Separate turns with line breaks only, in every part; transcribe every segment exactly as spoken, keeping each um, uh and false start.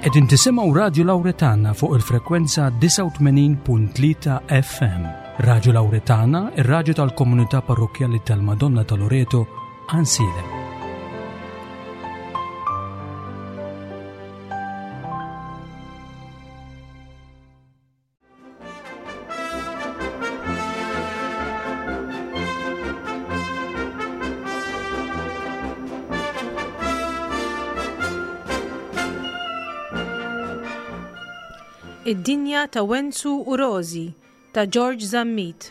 Qegħdin tisimgħu Radju Lawretana fuq il-frekwenza disgħa u tmenin punt tlieta F M. Radju Lawretana, ir-radju tal-komunità parrokkjali tal-Madonna ta' Loreto, Għajnsielem.
Id-dinja ta' Wenzu u Rożi ta' George Zammit.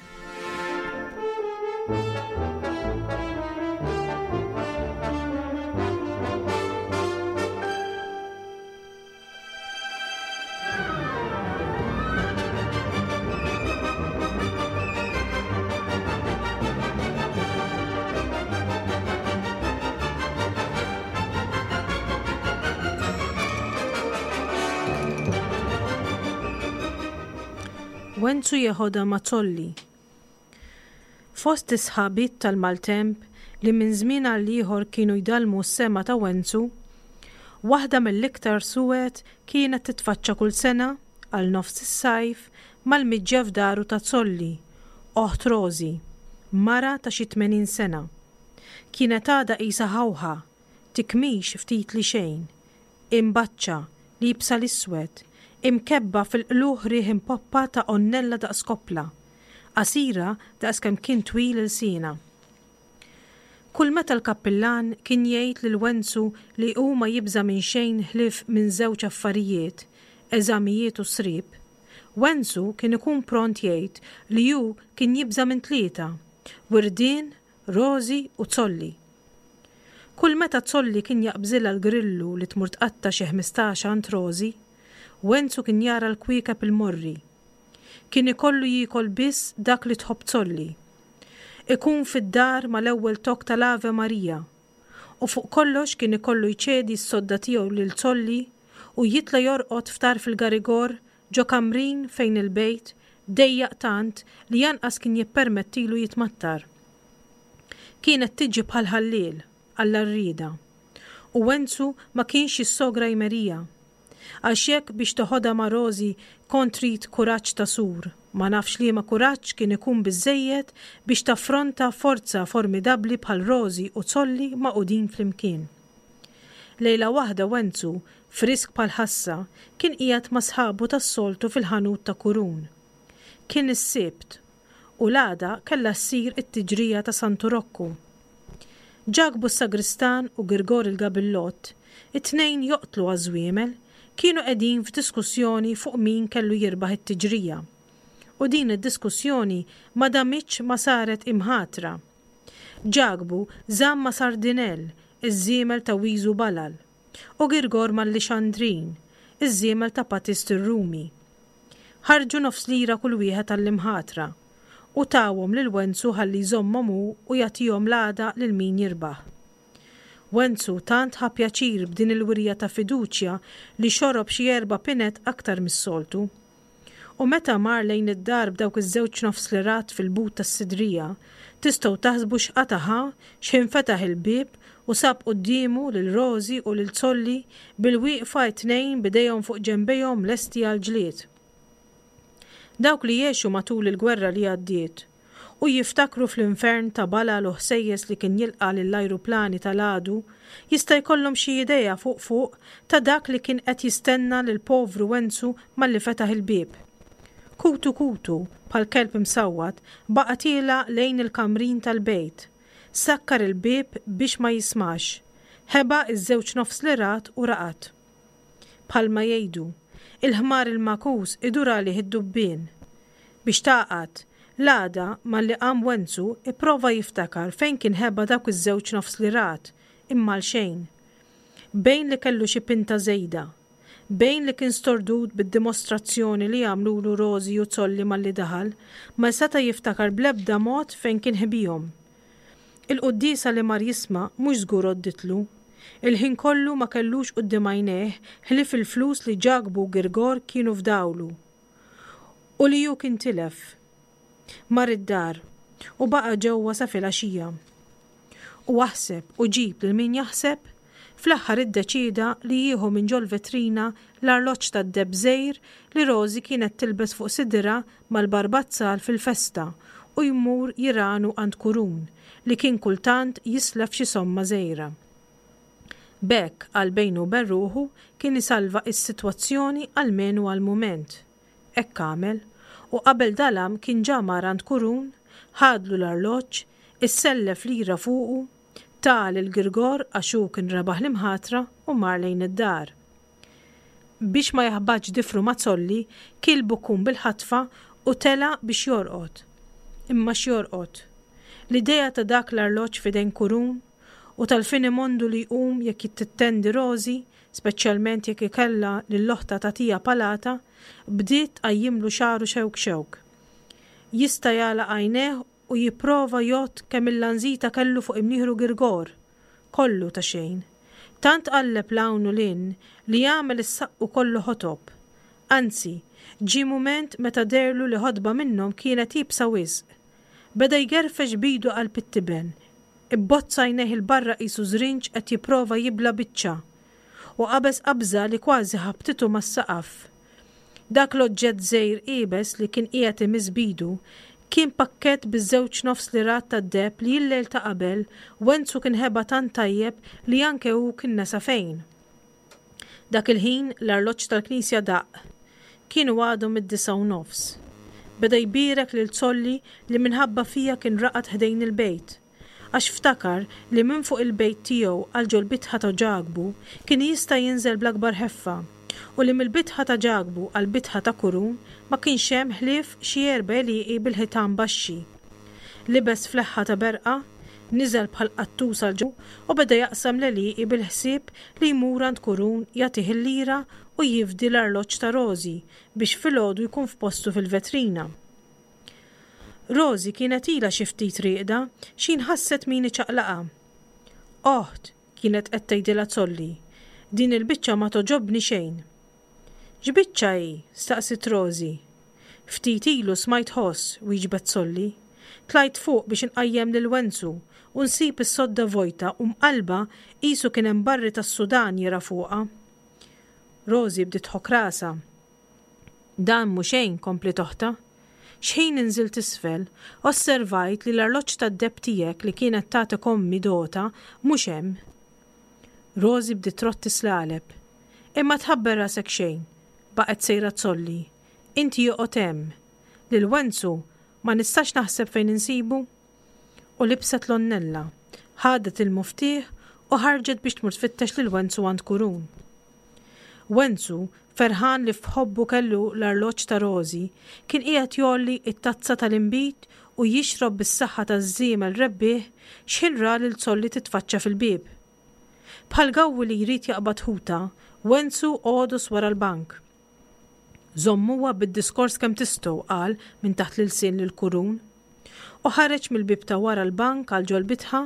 Wenzu jeħodha ma' Zolli. Fost is-sħabit tal-maltemp li minn żmien għal ieħor kienu jdallmu s-sema ta' Wenzu, waħda mill-iktar suwed kienet titfaċċa kull sena għal nofs is-sajf mal-miġja f'daru ta' Zolli, oħt Rożi, mara ta' xi tmenin sena. Kienet għadha qisha ħawħa, tikmix ftit li xejn, imbaċċa, liebsa l-iswed, imkebba fil-qluħ riħ impoppa ta' onnella daqs koppla, qasira daqs kemm kien twil il-sina. Kull meta l-kappillan kien jgħid lil Wenzu li hu ma jibża' minn xejn ħlief minn żewġ affarijiet, eżamijiet u srib, Wenzu kien ikun pront jgħid li hu kien jibża' minn tlieta, Wirdien, Rożi u Zolli. Kull meta Zolli kien jaqbżilha l-grillu li tmur tqatta' xi ħmistax għand Rożi, Wenzu kien jara l-kwiekeb il-morri. Kien ikollu jiekol biss dak li tħobb Zolli. Ikun fid-dar mal-ewwel tok tal-Ave Maria. U fuq kollox kien ikollu jċedi s-sodda tiegħu lil Zolli u jitla' jorqod f'tarf il-garigor ġo kamrin fejn il-bejt dejjaq tant li janqas kien jippermettilu jitmattar. Kienet tiġi bħal ħalliel għall-arrieda. U Wenzu ma kienx jissogra jmerija. Għax jekk biex toħodha ma' Rożi kont trid kuraġġ ta' sur, ma nafx liema kuraġġ kien ikun biżżejjed biex taffronta forza formidabbli bħal Rożi u Zolli magħqudin flimkien. Lejla waħda Wenzu, frisk bħal ħassa, kien qiegħed ma' sħabu tas-soltu fil-ħanut ta' Kurun. Kien is-Sibt u l-għada kellha ssir it-tiġrija ta' Santu Rokku. Ġakbu s-Sagristan u Girgor il-Gabillott, it-tnejn joqtlu għaż-żwiemel, kienu qegħdin f'diskussjoni fuq min kellu jirbaħ it-tiġrija. U din id-diskussjoni ma damitx ma saret imħatra. Ġakbu żamm ma' Sardinell, iż-żiemel ta' Wiżu Balal, u Girgor mal-Lixandrin, iż-żiemel ta' Patist ir-Rumi. Ħarġu nofs lira kull wieħed għall-imħatra u tawhom lil Wenzu ħalli jżommhom hu u jagħtihom l-għada lil min jirbaħ. Wenzu tant ħa pjaċir b'din il-wirja ta' fiduċja li xorob xi erba' pinet aktar mis-soltu. U meta mar lejn id-dar b'dawk iż-żewġ nofs lirat fil-but tas-sidrija, tistgħu taħsbu x'qata' ħa x'ħin fetaħ il-bieb u sab quddiemu lil Rożi u lil Zolli bil-wieqfa t-tnejn b'idejhom fuq ġenbejhom lesti għall-ġlied. Dawk li jgħixu matul il-gwerra li għaddiet u jiftakru fl-infern ta' balal u ħsejjes li kien jilqa' lill-ajruplani tal-għadu, jista' jkollhom xi idea fuq fuq ta' dak li kien qed jistenna lil povru Wenzu malli fetaħ il-bieb. Kutu kutu, bħal kelb imsawwat, baqa' tiela' lejn il-kamrin tal-bejt. Sakkar il-bieb biex ma jismax. Ħeba iż-żewġ nofs lirat u raqad. Bħalma jgħidu, il-ħmar il-makus idur għalih id-dubbien. Biex taqgħad, l-għada malli qam Wenzu ipprova jiftakar fejn kien ħeba dawk iż-żewġ nofs lirat, imma għal xejn. Bejn li kellu xi pinta żejda, bejn li kien stordut bid-dimostrazzjoni li għamlulu Rożi u Zolli malli daħal, ma seta' jiftakar bl-ebda mod fejn kien ħbihom. Il-quddiesa li mar jisma' mhux żgur għodditlu. Il-ħin kollu ma kellux quddiem għajnejh ħlief il-flus li Ġakbu u Girgor kienu fdawlu u li hu kien tilef. Mar id-dar u baqa' ġewwa sa filgħaxija. U aħseb u ġib lil min jaħseb, Fl-aħħar iddeċieda li jieħu minn ġol-vetrina l-arloġġ tad-deheb żgħir li Rosie kienet tilbes fuq sidirha mal-barbazzal fil-festa u jmur jiranu għand Kurun li kien kultant jislef xi somma żgħira. B'hekk, għal bejnu u ben ruħu, kien isalva s-sitwazzjoni almenu għall-mument. Hekk għamel, u qabel dalam kien ġa mar għand Kurun, ħadlu l-arloġġ, issellef lira fuqu, ta lil Girgor għax hu kien rebaħ l-imħatra u mar lejn id-dar. Biex ma jaħbatx difru ma' Zolli, kiel bukkun bil-ħatfa u tela' biex jorqod. Imma x'jorqod? L-idea ta' dak l-arloġġ f'idejn Kurun u tal-finimondu li jqum jekk tittendi Rosie, speċjalment jekk ikellha lil oħtha tagħtiha palata, bdiet tqajjimlu xagħru xewk xewk. Jista' jagħlaq għajnejh u jipprova jgħodd kemm il-lanżita kellu fuq imnieħru Girgor. Kollu ta' xejn. Tant qalleb 'l hawn u 'l hinn li għamel is-saqqu kollu ħotob. Anzi, ġie mument meta dehrlu li ħotba minnhom kienet iebsa wisq. Beda jgerfex b'idu qalb it-tiben. Ibbozza għajnejh 'il barra qisu żrinġ qed jipprova jibla' biċċa. U qabeż qabża li kważi ħabtitu mas-saqaf. Dak l-oġġett żgħir iebes li kien qiegħed imiss b'idu kien pakkett biż-żewġ nofs lirat tad-deheb li l-lejl ta' qabel Wenzu kien ħeba tant tajjeb li anke hu kien nesa fejn. Dak il-ħin l-arloġġ tal-knisja daqq. Kienu għadhom id-disgħa u nofs. Beda jbierek lil Zolli li minħabba fija kien raqad ħdejn il-bejt. Għax ftakar li minn fuq il-bejt tiegħu għal ġol-bitħa ta' Ġakbu kien jista' jinżel bl-akbar ħeffa u li mill-bitħa ta' Ġakbu għall-bitħa ta' Kurun ma kienx hemm ħlief xi erba' għelieqi bil-ħitan baxxi. Libes fleħħa ta' berqa, niżel bħal qattus għal ġo u beda jaqsam l-għelieqi bil-ħsieb li jmur għand Kurun jagħtih il-lira u jifdi l-arloġġ ta' Rosie biex filgħodu jkun f'postu fil-vetrina. Rosie kienet ilha xi ftit rieqda x'ħin ħasset min iċaqlaqha. Oħt, kienet qed tgħidilha Zolli, din il-biċċa ma togħġobni xejn. X'biċċa hi? staqsiet Rosie. Ftit ilu smajt ħoss, wieġbet Zolli. Tlajt fuq biex inqajjem lil Wenzu u nsib is-sodda vojta u mqallba qisu kien hemm barri tas-Sudan jirgħa fuqha. Rosie bdiet tħokk rasha. Dan mhu xejn, kompliet oħtha. Xħin inżilt isfel, osservajt li l-arloġġ tad-deheb tiegħek li kienet tatek ommi dota mhux hemm. Rosie bdiet trott tislaleb. Imma tħabber rasek xejn, baqgħet sejra Zolli. Inti joqgħod hemm. Lil Wenzu ma nistax naħseb fejn insibu. U libset l-onnella, ħadet il-muftieħ u ħarġet biex tmur tfittex lil Wenzu għand Kurun. Wenzu, ferħan li f'ħobbu kellu l-arloġġ ta' Rosie, kien qiegħed jgħolli t-tazza tal-inbid u jixrob bis-saħħa taż-żiemel rebbieħ x'ħin ra lil Zolli titfaċċa fil-bieb. Bħal gawwi li jrid jaqbad ħuta, Wenzu għodos wara l-bank. Żommuha bid-diskors kemm tistgħu, qal minn taħt l-ilsien lil Kurun. U ħareġ mill-bieb ta' wara l-bank għal ġol-bitħa,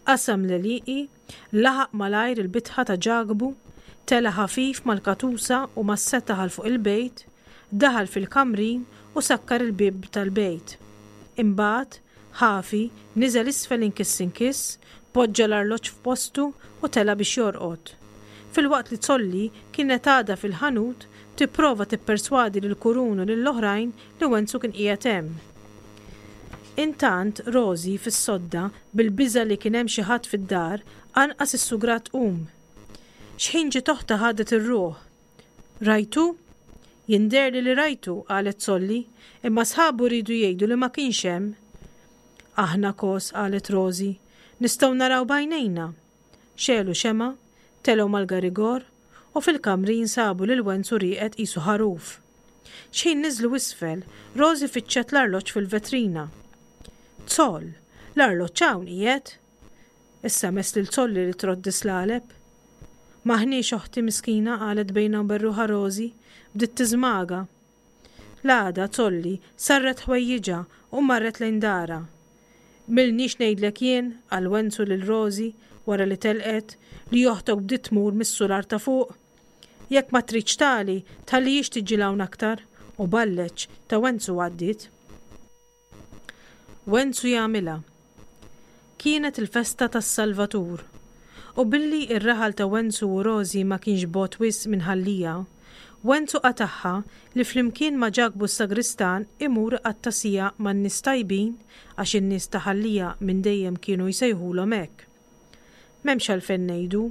qasam l-għelieqi, laħaq malajr il-bitħa ta' Ġakbu, tela' ħafif mal-katusa u mas-setaħ għal fuq il-bejt, daħal fil-kamrin u sakkar il-bieb tal-bejt. Imbagħad, ħafi, niżel isfel inkiss inkiss, poġġa l-arloġġ f'postu u tela' biex jorqod. Filwaqt li Zolli kienet għadha fil-ħanut tipprova tipperswadi lil Kurun u lill-oħrajn li Wenzu kien qiegħed hemm. Intant, Rosie, fis-sodda, bil-biża' li kien hemm xi ħadd fid-dar, anqas issugrat tqum. X'ħin ġiet oħtha ħadet ir-ruħ. Rajtu? Jindherli li rajtu, qalet Zolli, imma sħabu riedu jgħidu li ma kienx hemm. Aħna kos, qalet Rosie, nistgħu naraw b'għajnejna. Xegħlu xemgħa, telgħu mal-garigor, u fil-kamrin sabu lil Wenzu rieqed qisu ħaruf. X'ħin niżlu isfel, Rosie fittxet l-arloġġ fil-vetrina. Zoll, l-arloġġ hawn qiegħed? Issa mess lil Zolli li trodd islaleb. M'aħniex oħti miskina, qalet bejnha u bejn ruħha Rosie, bdiet tiżmaga. L-għada Zolli sarret ħwejjiġha u marret lejn darha. M'ilniex ngħidlek jien, qal Wenzu lil Rosie wara li telqet, li oħtok bdiet tmur mis-sular ta' fuq. Jekk ma tridx tali, tħallihiex tiġi 'l hawn aktar, u balleċ ta' Wenzu għaddiet. Wenzu jagħmilha. Kienet il-festa tas-Salvatur, U billi r-raħal ta' Wenzu u Rożi ma kienx bogħod wisq minn Ħal Lija, Wenzu qatagħha li flimkien ma' Ġakbu s-sagristan imur iqatta' siegħa man-nies tajbin għax in-nies ta' Ħal Lija minn dejjem kienu jsejħulhom hekk. M'hemmx għalfejn ngħidu,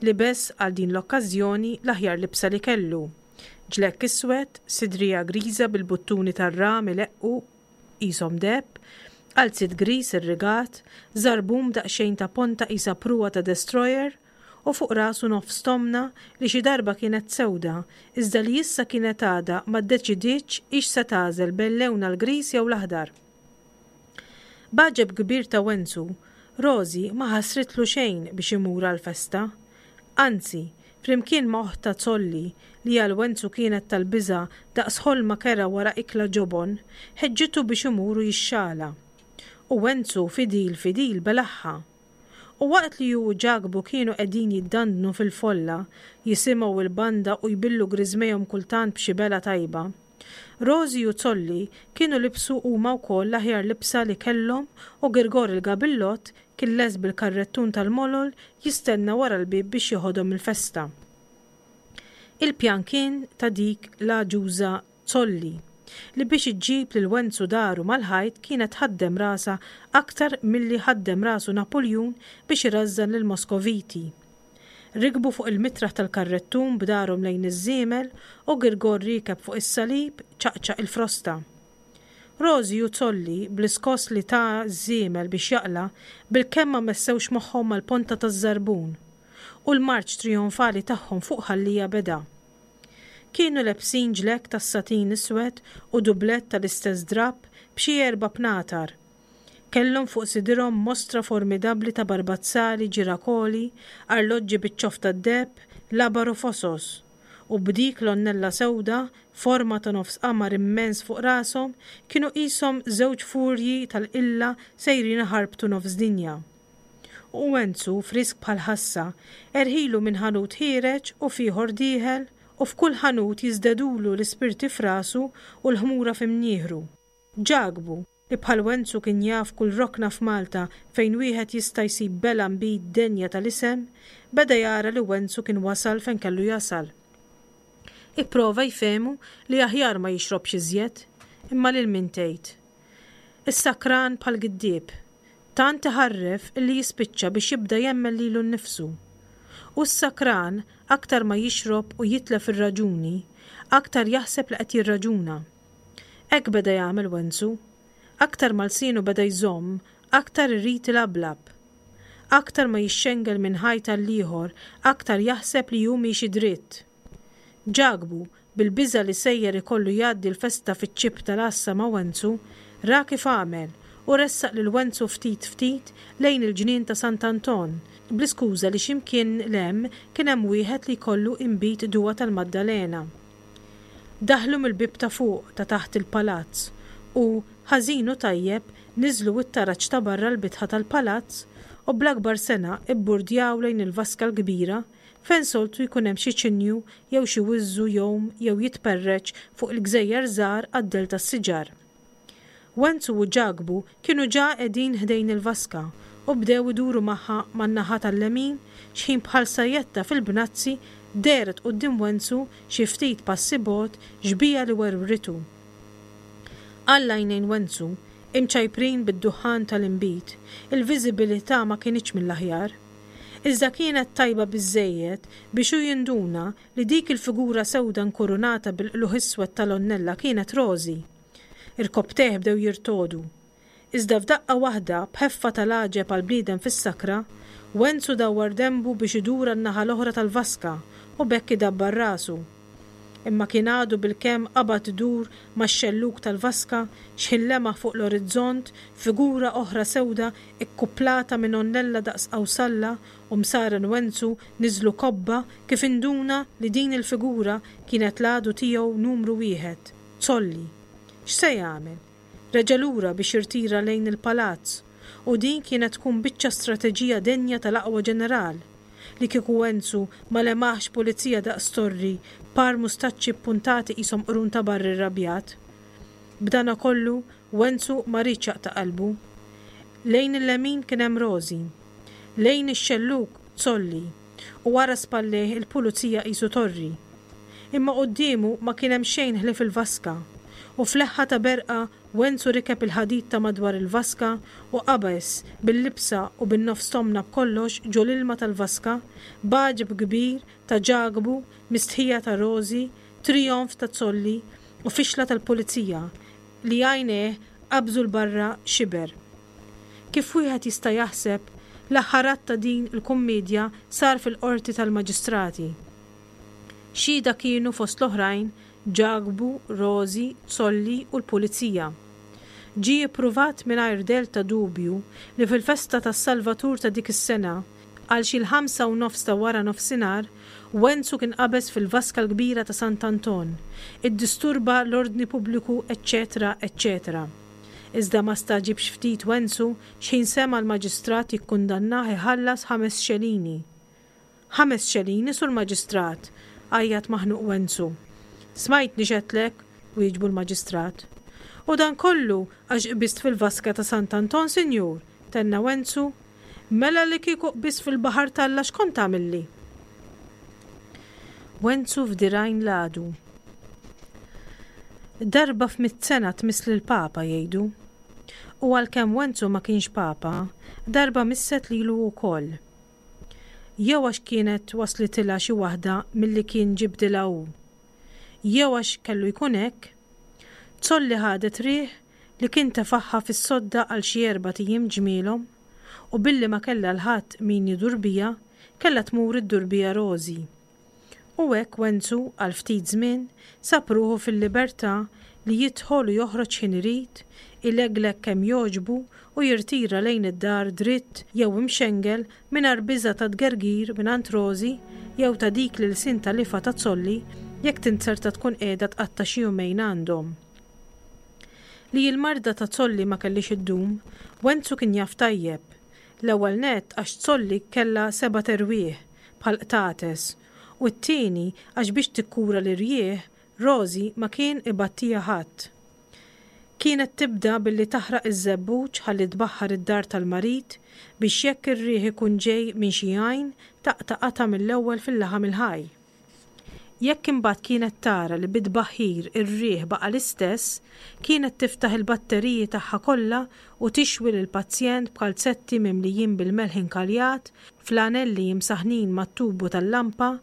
libes għal din l-okkażjoni l-aħjar libsa li kellu, ġlekk iswed, sidrija griża bil-buttuni tar-ram ileqqu qishom deheb, qalziet griż irrigat, żarbun b'daqsxejn ta' ponta qisha pruwa ta' destroyer, u fuq rasu nofs tomna li xi darba kienet sewda, iżda li issa kienet għadha ma ddeċidietx hix se tagħżel bejn lewnha l-griż jew l-aħdar. B'għaġeb kbir ta' Wenzu, Rożi ma ħassritlu xejn biex imur għall-festa. Anzi, flimkien ma' oħtha Zolli, li għal Wenzu kienet tal-biża' daqs ħolma kerha wara ikla ġobon, ħeġġitu biex imur u jixxala. U Wenzu fidil fidil belagħha. U waqt li hu u Ġakbu kienu qegħdin jiddandnu fil-folla, jisimgħu l-banda u jbillu griżmejhom kultant b'xi belgħa tajba, Rożi u Zolli kienu libsu huma wkoll l-aħjar libsa li kellhom u Girgor il-Gabillott kien lest bil-karrettun tal-molol jistenna wara l-bieb biex jeħodhom il-festa. Il-pjan kien ta' dik l-għaġuża Zolli, li biex iġġib lil Wenzu daru mal-ħajt kienet tħaddem rasha aktar milli ħaddem rasu Napuljun biex irażżan lill-Moskoviti. Rikbu fuq il-mitraħ tal-karrettun b'darhom lejn iż-żiemel u Girgor riekeb fuq is-salib ċaqċaq il-frosta. Rożi u Zolli, bl-iskoss li ta ż-żiemel biex jaqla', bilkemm ma messewx moħħhom mal-ponta taż-żarbun. U l-marċ trijonfali tagħhom fuq Ħal Lija beda. Kienu lebsin ġlekk tas-satin iswed u dublett tal-istess drapp b'xi erba' bnatar. Kellhom fuq sidirhom mostra formidabbli ta' barbazzali, ġirakoli, arloġġi biċ-ċoff tad-deheb, labar u fosos. U b'dik l-għonnella sewda, forma ta' nofs qamar immens fuq rashom, kienu qishom żewġ furji tal-qilla sejrin iħarbtu nofs dinja. U Wenzu, frisk bħal ħassa, erħilu minn ħanut ħiereġ u f'ieħor dieħel, u f'kull ħanut jiżdedulu l-ispirti f'rasu u l-ħmura f'imnieħru. Ġakbu, li bħal Wenzu kien jaf kull rokna f'Malta fejn wieħed jista' jsib belgħa nbid denja tal-isem, beda jara li Wenzu kien wasal fejn kellu jasal. Ipprova jfehmu li aħjar ma jixrobx iżjed, imma lil min tgħid? Is-sakran bħal giddieb. Tant iħarref illi jispiċċa biex jibda jemmen lilu nnifsu. U s-sakran, aktar ma jixrob u jitlef ir-raġuni, aktar jaħseb li qed jirraġuna. Hekk beda jagħmel Wenzu. Aktar ma lsienu beda jżomm, aktar irid ilablab. Aktar ma jixxengel minn ħajt għall-ieħor, aktar jaħseb li hu miexi dritt. Ġakbu, bil-biża' li sejjer ikollu jgħaddi l-festa fiċ-ċipp tal-għassa ma' Wenzu, ra kif għamel u ressaq lil Wenzu ftit ftit lejn il-ġnien ta' Sant'Anton, bl-iskuża li xi mkien 'l hemm kien hemm wieħed li jkollu inbid duwa tal-Maddalena. Daħlu mill-bieb ta' fuq ta' taħt il-palazz u, ħażin u tajjeb, niżlu t-taraġ ta' barra l-bitħa tal-palazz u bl-akbar sengħa ibburdjaw lejn il-vaska l-kbira fejn soltu jkun hemm xi ċinju jew xi wiżżu jgħum jew jitperreċ fuq il-gżejjer żgħar għad-dell tas-siġar. Wenzu u Ġakbu kienu ġa qegħdin ħdejn il-vaska u bdew iduru magħha man-naħa tal-lemin xħin bħal sajjetta fil-bnazzi dehret quddiem Wenzu xi ftit passi bogħod xbieha li werwritu. Għall-għajnejn Wenzu, imċajprin bid-duħħan tal-inbid, il-viżibilità ma kinitx mill-aħjar. Iżda kienet tajba biżżejjed biex hu jinduna li dik il-figura sewda nkurunata bil-qlugħ iswed tal-għonnella kienet Rożi. Irkopptejh bdew jirtogħdu. Iżda f'daqqa waħda, b'ħeffa tal-għaġeb għal bniedem fis-sakra, Wenzu dawwar denbu biex idur għan-naħa l-oħra tal-vaska u b'hekk idabbar rasu. Imma kien għadu bilkemm qabad idur max-xellug tal-vaska x'ħin lemaħ fuq l-orizzont figura oħra sewda kkuplata minn għonnella daqs qawsalla u msaren Wenzu niżlu kobba kif induna li din il-figura kienet l-għadu tiegħu numru wieħed, Zolli. X'se jagħmel? Reġa' lura biex jirtira lejn il-palazz u din kienet tkun biċċa strateġija denja tal-aqwa ġeneral. Li kieku Wenzu ma lemaħx pulizija daqs torri, par mustaċċi ppuntati qishom qrun ta' barri rrabjat. B'danakollu, Wenzu ma riedx jaqta' qalbu. Lejn il-lemin kien hemm Rożi. Lejn ix-xellug, Zolli, u wara spallejh il-pulizija qisu torri. Imma quddiemu ma kien hemm xejn ħlief il-vaska, u f'leħħa ta' berqa Wenzu rikeb il-ħadid ta' madwar il-vaska u qabeż bil-libsa u bin-nofs tomna b'kollox ġo l-ilma tal-vaska, b'għaġeb kbir ta' Ġakbu, mistħija ta' Rożi, trijonf ta' Zolli u fixla tal-pulizija li għajnejh qabżu 'l barra xiber. Kif wieħed jista' jaħseb, l-aħħar att ta' din il-kummiedja sar fil-Qorti tal-Maġistrati. Xhieda kienu fost l-oħrajn Ġakbu, Rożi, Zolli u l-pulizija. Ġie ippruvat mingħajr dell ta' dubju li fil-festa tas-Salvatur ta' dik is-sena, għal xi l-ħamsa u nofs ta' wara nofsinhar, Wenzu kien qabeż fil-vaska l-kbira ta' Sant'Anton, iddisturba l-ordni pubbliku eċċetera eċċetera Iżda ma stagħġibx ftit Wenzu x'ħin sema' l-maġistrat jikkundannah iħallas ħames xelini. Ħames xelini, Sur Maġistrat! għajjat maħnuq Wenzu. Smajtni x'għedtlek, wieġbu l-maġistrat. U dan kollu għax qbiżt fil-vaska ta' Sant'Anton, sinjur, tenna Wenzu. Mela li kieku qbiżt fil-baħar t'Alla x'kont tagħmilli? Wenzu f'dirgħajn l-għadu. Darba f'mitt sena tmiss lill-Papa, jgħidu. U għalkemm Wenzu ma kienx Papa, darba misset lilu wkoll. Jew għax kienet waslitilha xi waħda milli kien ġibdilha hu. Jew għax kellu jkun hekk, Zolli ħadet riħ li kien tefagħha fis-sodda għal xi erbat ijiem ġmielhom u billi ma kellha 'l ħadd min idur biha, kellha tmur iddur biha Rożi. U hekk Wenzu, għal ftit żmien, sab ruħu fil-libertà li jidħol u joħroġ x'ħin irid, ilegleg kemm jogħġbu u jirtira lejn id-dar dritt jew imxengel mingħajr biża' ta' tgergir mingħand Rożi jew ta' dik l-ilsien ta' lifgħa ta' Zolli jekk tinzerta tkun qiegħda tqatta' xi jumejn għandhom. Li l-marda ta' Zolli ma kellhiex iddum, Wenzu kien jaf tajjeb. L-ewwel nett għax Zolli kellha sebat erwieħ, bħall-qtates, u t-tieni għax biex tikkura l-irjieħ, Rożi ma kien ibattiha ħadd. Kienet tibda billi taħraq iż-żebbuġ ħalli tbaħħar id-dar tal-marid biex jekk ir-riħ ikun ġej minn xi għajn taqta' qatgħa mill-ewwel fil-laħam il-ħaj. Jekk imbagħad kienet tara li bit-tbaħħir ir-riħ baqa' l-istess, kienet tiftaħ il-batteriji tagħha kollha u tixwi lill-pazjent b'kalzetti mimlijin bil-melħ inkaljat, flanelli imsaħħnin mat-tubu tal-lampa,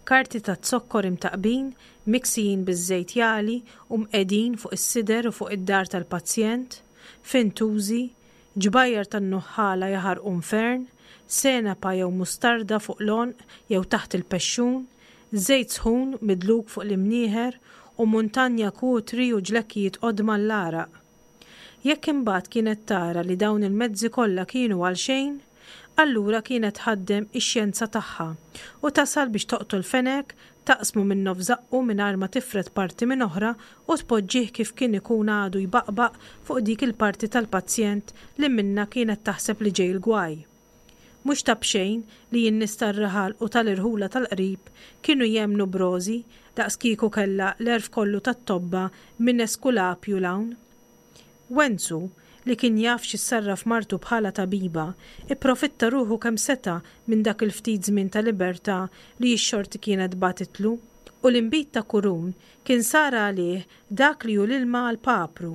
karti taz-zokkor imtaqqbin, miksijin biż-żejt jagħli u mqegħdin fuq is-sider u fuq id-dar tal-pazjent, fintużi, ġbajjar tan-nuħħala jaħarqu nfern, senapa jew mustarda fuq l-għonq jew taħt il-pexxun, żejt sħun midluk fuq l-imnieħer u muntanja kutri u ġlekkijiet qodma għall-għaraq. Jekk imbagħad kienet tara li dawn il-mezzi kollha kienu għalxejn, allura kienet tħaddem ix-xjenza tagħha u tasal biex toqtol fenek, taqsmu minn nofs żaqqu mingħajr ma tifred parti minn oħra u tpoġġih kif kien ikun għadu jbaqbaq fuq dik il-parti tal-pazjent li minnha kienet taħseb li ġej il-gwaj. Mhux ta' b'xejn li n-nies tar-raħal u tal-irħula tal-qrib kienu jemmnu b'Rożi daqs kieku kellha l-għerf kollu tat-tobba minn Eskulapju 'l hawn. Wenzu, li kien jaf x'issarraf martu bħala tabiba, ipprofitta ruħu kemm seta' minn dak il-ftit żmien ta' libertà li x-xorti kienet bagħtitlu, u l-inbid ta' Kurun kien sar għalih dak li hu l-ilma għall-papru.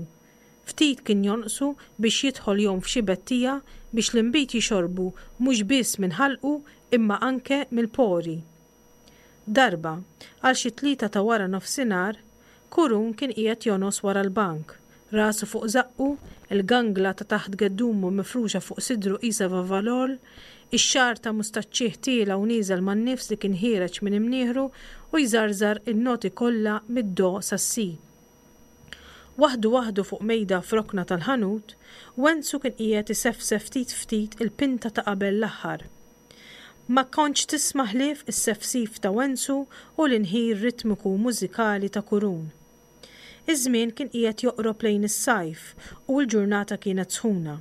Ftit kien jonqsu biex jidħol jgħum f'xi bettija biex l-inbid jixorbu mhux biss minn ħalqu imma anke mill-pori. Darba, għal xi tlieta ta' wara nofsinhar, Kurun kien qiegħed jongħos wara l-bank, rasu fuq żaqqu, il-gangla ta' taħt geddumu mifruxa fuq sidru qisha vavalol, ix-xagħar ta' mustaċċih tiela' u nieżel man-nifs li kien ħiereġ minn imnieħru u jżarżar in-noti kollha mid-do sas-si. Waħdu waħdu fuq mejda f'rokna tal-ħanut, Wenzu kien qiegħed isefsef ftit ftit il-pinta ta' qabel l-aħħar. Ma kontx tisma' ħlief is-sefsif ta' Wenzu u l-inħir ritmiku u mużikali ta' Kurun. Iż-żmien kien qiegħed joqrob lejn is-sajf u l-ġurnata kienet sħuna.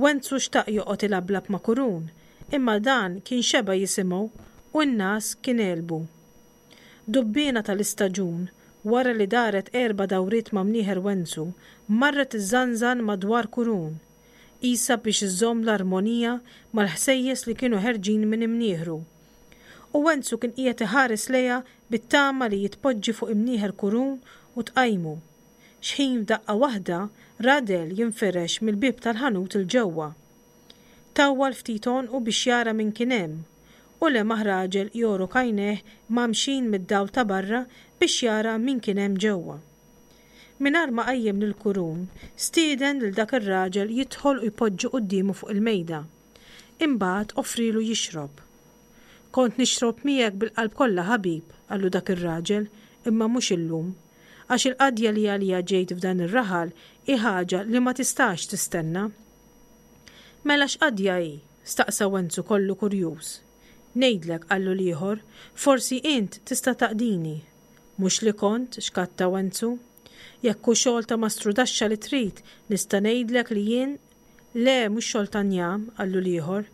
Wenzu xtaq joqgħod ilablab ma' Kurun, imma dan kien xeba' jisimgħu u n-ngħas kien għelbu. Dubbiena tal-istaġun, wara li daret erba' dawriet ma' mnieħer Wenzu, marret iżżanżan madwar Kurun. qisha biex iżżomm l-armonija mal-ħsejjes li kienu ħerġin minn imnieħru. U Wenzu kien qiegħed iħares lejha bit-tama li jitpoġġi fuq imnieħer Kurun u tqajmu. Xħin f'daqqa waħda ra dell jinfirex mill-bieb tal-ħanut 'il ġewwa. Tawwal ftit għonqu biex jara min kien hemm u lemaħ raġel jogħrok għajnejh mgħammxin mid-dawl ta' barra biex jara min kien hemm ġewwa. Mingħajr ma qajjem lil Kurun, stieden lil dak ir-raġel jidħol u jpoġġi quddiemu fuq il-mejda. Imbagħad offrilu jixrob. Kont nixrob miegħek bil-qalb kollha ħabib, qallu dak ir-raġel, imma mhux illum. Għax il-qadja li għaliha ġejt f'dan ir-raħal hi ħaġa li ma tistax tistenna. Mela x'qadja hi? staqsa Wenzu kollu kurjuż. Ngħidlek, qallu l-ieħor, forsi int tista' taqdini. Mhux li kont, xkatta Wenzu. Jekk hu xogħol ta' mastrudaxxa li trid, nista' ngħidlek li jien Le, mhux xogħol ta' njam, qallu l-ieħor.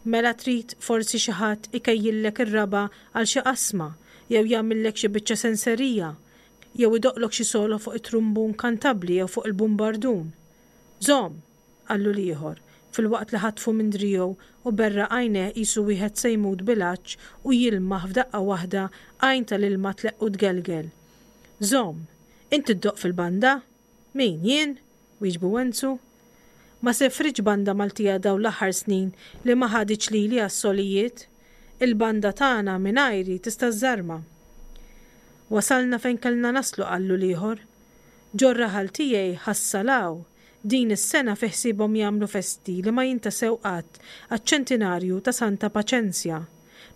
Mela trid forsi xi ħadd ikejjillek ir-raba' għal xi qasma, jew jagħmillek xi biċċa senserija, jew idoqqlok xi solo fuq it-trumbun kantabbli jew fuq il-bumbardun. Żomm! qallu l-ieħor, filwaqt li ħatfu minn driegħu u berraq għajnejh qisu wieħed se jmut bil-għatx u jilmaħ f'daqqa waħda għajn tal-ilma tleqq u tgelgel. Żomm! Int iddoqq fil-banda? Min, jien? wieġbu Wenzu. Ma sefritx banda Maltija dawn l-aħħar snin li ma ħaditx lili għas-solijiet. Il-banda tagħna mingħajri tista' żżarma. Wasalna fejn kellna naslu qallu l-ieħor. Ġor-raħal tiegħi ħassalaw. Din is-sena fi ħsiebhom jagħmlu festi li ma jintasew qatt għaċ-ċentinarju ta' Santa Paċenzja.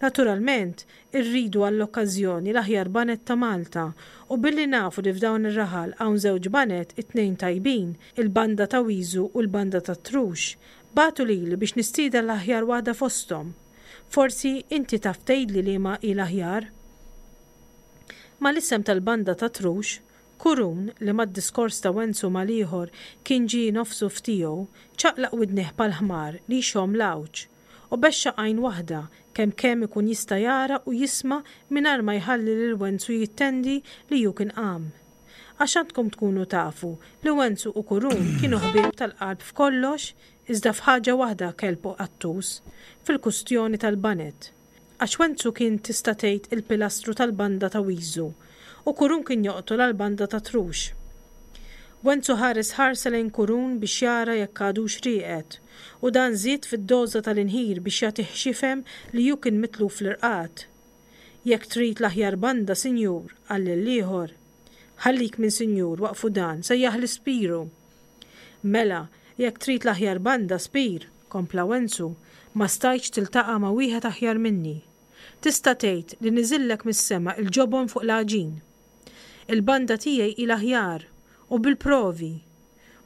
Naturalment, irridu għall-okkażjoni l-aħjar baned ta' Malta u billi nafu li f'dawn ir-raħal hawn żewġ baned, it-tnejn tajbin, il-banda ta' Wiżu u l-banda tat-Trux, bagħtu lili biex nistieden l-aħjar waħda fosthom. Forsi inti taf tgħidli liema hi l-aħjar? Mal-isem tal-banda tat-Trux, Kurun, li mad-diskors ta' Wenzu mal-ieħor kien ġie nofsu f'tiegħu, ċaqlaq widnejh bħal ħmar li jxomm l-għawġ. U bexxaq għajn waħda, kemm kemm ikun jista' jara u jisma' mingħajr ma jħalli lil Wenzu jittendi li hu kien qam. Għax għandkom tkunu tafu li Wenzu u Kurun kienu ħbieb tal-qalb f'kollox iżda f'ħaġa waħda kelb u qattus, fil-kustjoni tal-baned. Għax Wenzu kien tista' tgħid il-pilastru tal-banda ta' Wiżu u Kurun kien joqtol għall-banda ta' Trux. Wenzu ħares ħarsa lejn Kurun biex jara jekk għadux rieqed, u dan żied fid-doża tal-inħir biex jagħtih x'jifhem li hu kien mitluf fl-irqad. Jekk trid l-aħjar banda, sinjur, qal lill-ieħor. Ħallik minn sinjur, waqfu dan, sejjaħli Spiru. Mela, jekk trid l-aħjar banda, Spir, kompla Wenzu, ma stajtx tiltaqa' ma' wieħed aħjar minni. Tista' tgħid li niżillek mis-sema il-ġobon fuq l-għaġin. Il-banda tiegħi hi l-aħjar, u bil-provi.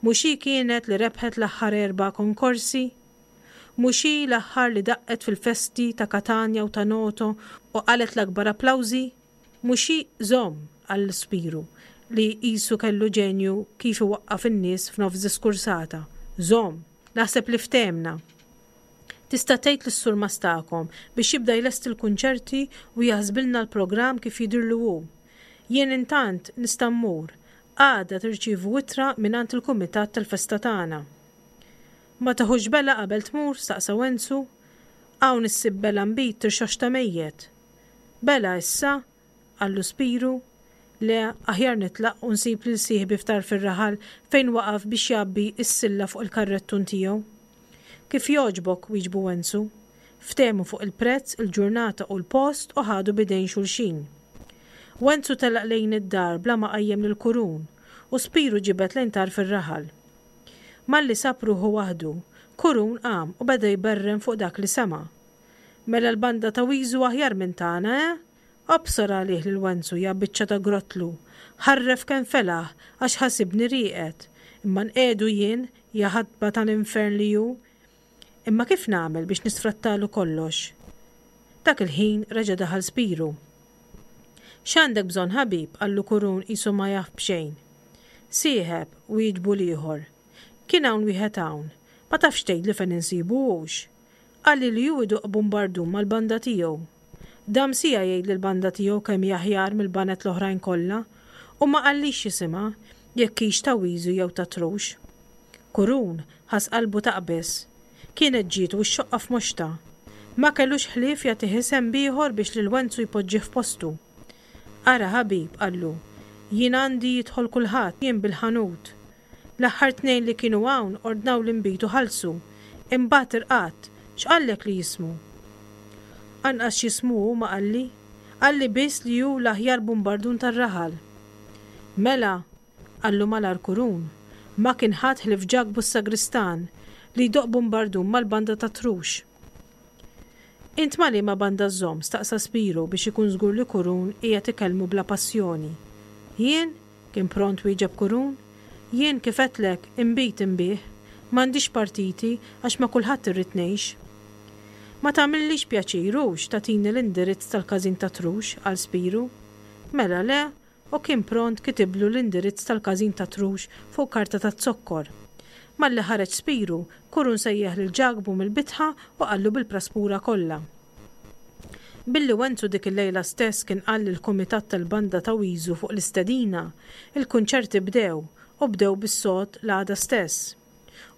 Mhux hi kienet li rebħet l-aħħar erba' konkorsi? Mhux hi l-aħħar li daqqet fil-festi ta' Katanja u ta' Noto u qalgħet l-akbar applawżi? Mhux hi Żomm! qal Spiru, li qisu kellu ġenju kif iwaqqaf in-nies f'nofs diskursata. Żomm! Naħseb li ftehmna. Tista' tgħid lis-surmast tagħkom biex jibda jlesti l-kunċerti u jaħsbilna l-programm kif jidhirlu hu. Jien intant nista' mmur. Għada tirċievu ittra mingħand il-kumitat tal-festa tagħna. Ma tiħux bela qabel tmur? staqsa Wenzu. Hawn issib bela nbid tirxoxta mejjet. Bela issa? qallu Spiru. Le, aħjar nitlaq u nsib lil sieħbi f'tarf ir-raħal fejn waqaf biex jgħabbi s-silla fuq il-karrettun tiegħu. Kif jogħġbok, wieġbu Wenzu. Ftehmu fuq il-prezz, il-ġurnata u l-post u ħadu b'idejn xulxin. Wenzu telaq lejn id-dar bla ma qajjem lil Kurun u Spiru ġibed lejn tarf ir-raħal. Malli sab ruħu waħdu, Kurun qam u beda jberren fuq dak li sema'. Mela l-banda ta' Wiżu aħjar minn tagħna, eh? Obsor għalih lil Wenzu, ja biċċa ta' grottlu! Ħarref kemm felaħ għax ħasibni rieqed. Imma nqiegħdu jien, ja ħatba tal-infern li hu! Imma kif nagħmel biex nisfrattalu kollox? Dak il-ħin reġa' daħal Spiru. X'għandek bżonn ħabib? qallu Kurun qisu ma jaf b'xejn. Sieħeb, wieġbu l-ieħor. Kien hawn wieħed hawn. Ma tafx tgħidli fejn insibu hux? Qalli li hu idoqq bumbardun mal-banda tiegħu. Dam siegħa jgħid lill-banda tiegħu kemm hi aħjar mill-baned l-oħrajn kollha u ma qallix x'isimha, jekk hix ta' Wiżu jew ta' Trux. Kurun ħass qalbu taqbeż. Kienet ġietu x-xoqqa f'moxtha. Ma kellux ħlief jagħtih isem b'ieħor biex lil Wenzu jpoġġih f'postu. Ara ħabib, qallu, jien għandi jidħol kulħadd, jien bil-ħanut. L-aħħar tnejn li kienu hawn ordnaw l-inbid u ħallsu. Imbagħad irqadt. X'qallek li jismu? Anqas x'jismu hu ma qalli. Qalli biss li hu l-aħjar bumbardun tar-raħal. Mela, qallu malajr Kurun, ma kien ħadd ħlief Ġakbu s-sagristan li jdoqq bumbardun mal-banda tat-Trux. Int ma' liema banda żżomm? staqsa Spiro biex ikun żgur li Kurun qiegħed ikellmu bla passjoni. Jien? kien pront wieġeb Kurun. Jien, kif għedtlek, inbid inbigħ. M'għandix partiti għax ma' kulħadd irrid ngħix. Ma tagħmillix pjaċir hux tagħtini l-indirizz tal-każin tat-Trux, qal Spiru. Mela le, u kien pront kitiblu l-indirizz tal-każin tat-Trux fuq karta taz-zokkor. Malli ħareġ Spiru, Kurun sejjaħ lil Ġakbu mill-bitħa u qallu bil-praspura kollha. Billi Wenzu dik il-lejla stess kien qal lill-kumitat tal-banda ta' Wiżu fuq l-istedina, il-kunċerti bdew, u bdew bis-sod l-għada stess.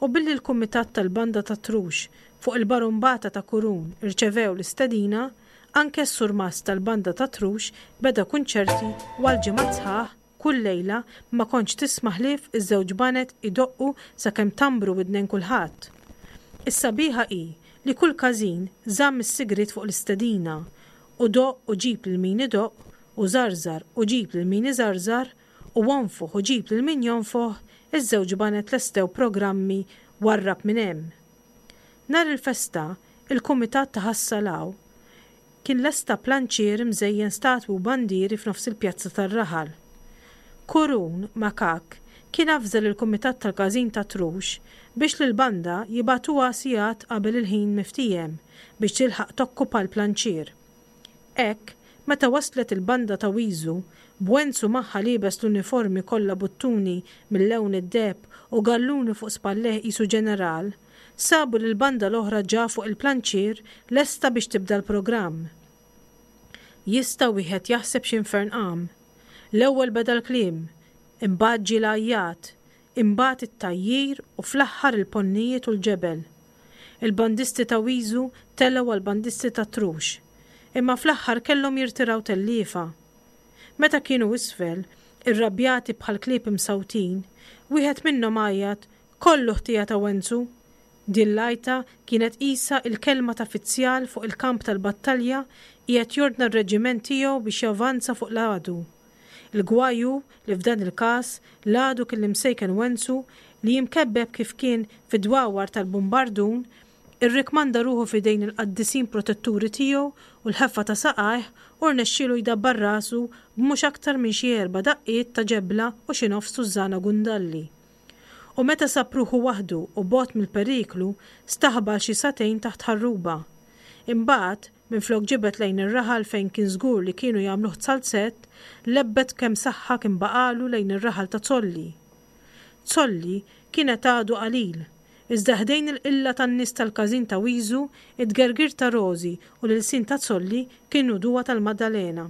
U billi l-kumitat tal-banda tat-Trux, fuq il-barumbata ta' Kurun, irċevew l-istedina, anke s-surmast tal-banda tat-Trux beda kunċerti u għal ġimgħat sħaħ, kull lejla, ma kontx tisma' ħlief iż-żewġ baned idoqqu sakemm tambru widnejn kulħadd. Is-sabiħa hi li kull każin żamm is-sigriet fuq l-istedina u doqq u ġib lil min idoqq u żarżar u ġib lil min iżarżar u onfoħ u ġib lil min jonfoħ, iż-żewġ baned lestew programmi warrab minn hemm. Nhar il-festa, il-kumitat ta' Ħas-Salaw kien lesta planċier imżejjen statwi u bandieri f'nofs il-pjazza tar-raħal. Kurun, makakk, kien avża lill-kumitat tal-każin tat-Trux biex lill-banda jibagħtuha sigħat qabel il-ħin miftiehem biex tilħaq tokkupa l-planċier. Hekk, meta waslet il-banda ta' Wiżu, b'Wenzu magħha liebes l-uniformi kollha buttuni mil-lewn id-deheb u galluni fuq spallejh qisu ġeneral, sabu lill-banda l-oħra ġa fuq il-planċier lesta biex tibda l-programm. Jista' wieħed jaħseb x'infern qam. L-ewwel beda l-kliem, imbagħad ġie l-għajjat, imbagħad it-tgħajjir u fl-aħħar il-ponnijiet u l-ġebel. Il-bandisti ta' Wiżu telgħu għall-bandisti tat-Trux. Imma fl-aħħar kellhom jirtiraw telliefa. Meta kienu isfel, irrabjati bħal klieb imsawtin, wieħed minnhom għajjat, Kollu ħtija ta' Wenzu! Din l-għajta kienet qisha il-kelma ta' fizzjal fuq il-kamp tal-battalja qiegħed jordna r-reġiment tiegħu biex javanza fuq l-għadu. Il-gwaj hu li f'dan il-każ l-għadu kien l-imsejken Wenzu li imkebbeb kif kien fid-dwawar tal-bumbardun irrikmanda ruħu f'idejn il-qaddisin protetturi tiegħu u l-ħeffa ta' saqajh u rnexxielu jdabbar rasu b'mhux aktar minn xi erba' daqqiet ta' ġebla u xi nofs tużżana gundalli. U meta sab ruħu waħdu u bogħod mill-periklu, staħba għal xi sagħtejn taħt ħarruba. Imbagħad, minflok ġibed lejn ir-raħal fejn kien żgur li kienu jagħmluh zalzett, lebbet kemm saħħa kien baqagħlu lejn ir-raħal ta' Zolli. Zolli kienet għadu qalil, iżda ħdejn il-qilla tan-nies tal-każin ta' Wiżu, it-tgergir ta' Rożi u l-ilsien ta' Zolli kienu duwa tal-Maddalena.